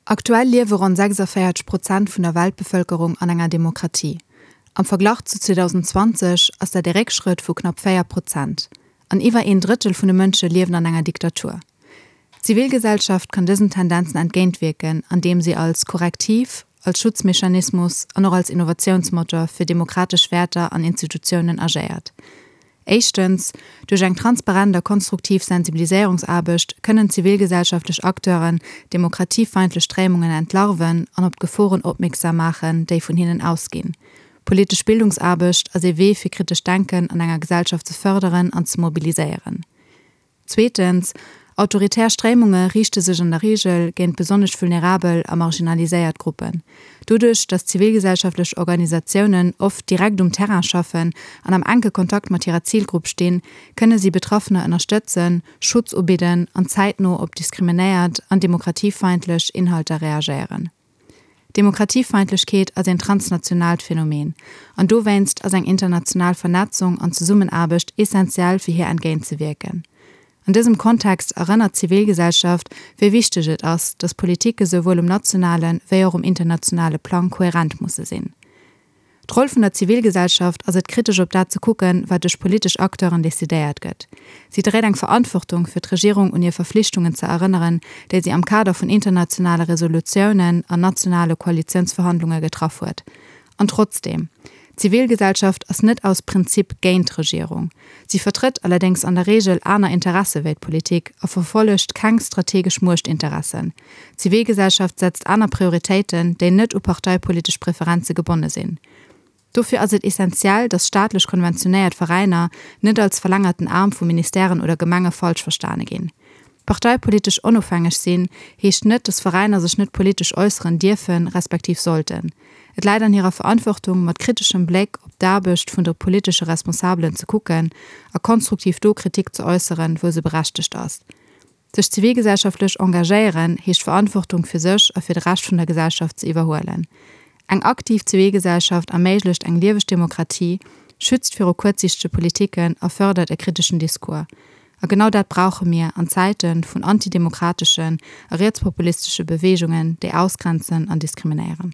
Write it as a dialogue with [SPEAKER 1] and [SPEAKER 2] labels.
[SPEAKER 1] Aktuell liewe ronn 46 Prozent vun der Weltbevëlkerung an enger Demokratie. Am Verglach zu 2020 ass dat ee Réckschrëtt vu knapp 4 Prozent. An iwwer een Drëttel vun de Mënsche liewen an enger Diktatur. D'Zivilgesellschaft kann dësen Tendenzen entgéintwierken, andeem si als Korrektiv, als Schutzmechanismus an och als Innovatiounsmotor fir demokratesch Wäerter an Institutiounen agéiert. Éischtens, duerch eng transparent a konstruktiv Sensibiliséierungsaarbecht kënnen zivilgesellschaftlech Acteuren demokratiefeindlech Stréimungen entlarven an op d'Geforen opmierksam maachen, déi vun hinnen ausginn. Politesch Bildungsaarbecht ass ee Wee fir kritescht Denken an enger Gesellschaft ze fërderen an ze mobiliséieren. Zweetens, autoritär Stréimunge riichte sech an der Reegel géint besonnesch vulnerabel a marginaliséiert Gruppen. Doduerch, datt zivilgesellschaftlech Organisatiounen oft direkt um Terrain schaffen an am enke Kontakt mat hirer Zilgrupp stinn, kënne si Betraffener ënnerstëtzen, Schutz ubidden an zäitno op diskriminéiert an demokratiefeindlech Inhalter reagéieren. Demokratiefeindlechkeet ass een transnationaalt Phänomen, an dowéinst ass eng international Vernetzung an Zesummenaarbecht essentiell fir hir entgéint ze wierken. An dësem Kontext erënnert d'Zivilgesellschaft, wéi wichteg et ass, datt Politike souwuel um nationale wéi och um internationale Plang kohärent musse sinn. D'Roll vun der Zivilgesellschaft ass et kritesch op dat ze kucken, wat duerch politesch Acteuren decidéiert gëtt. Si dréit eng Verantwortung, fir d'Regierung un hir Verflichtungen ze erënneren, déi si am Kader vun internationale Resolutiounen an nationale Koalitiounsverhandlunge getraff huet. An trotzdeem, D'Zivilgesellschaft ass net aus Prinzip géint d'Regierung. Si vertrëtt allerdéngs an der Reegel aner Interesse wéi d'Politik a verfollegt keng strategesch Muechtinteressen. D'Zivilgesellschaft setzt aner Prioritéiten, déi net u parteipolitesch Preferenze gebonne sinn. Dofir ass et essentiell, datt staatlech konventionéiert Veräiner net als verlängerten Aarm vu Ministèren oder Gemenge falsch verstane ginn. Parteipolitesch onofhängeg sinn, heescht net, datt Veräiner sech net politesch äusseren dierfen, respektiv sollten. Et läit an hirer Verantwortung, mat kriteschem Bléck op d'Aarbecht vun de politesche Responsabelen ze kucken a konstruktiv do Kritik ze äusseren, wou se berechtegt ass. Sech zivilgesellschaftlech engagéieren heescht Verantwortung fir sech a fir de Rescht vun der Gesellschaft ze iwwerhuelen. Eng aktiv Zivilgesellschaft erméiglecht eng lieweg Demokratie, schützt viru kuerzsiichtege Politiken a fërdert e kriteschen Discours. A genau dat brauche mir an Zäite vun antidemokrateschen a rietspopulistesche Beweegungen, déi ausgrenzen an diskriminéieren.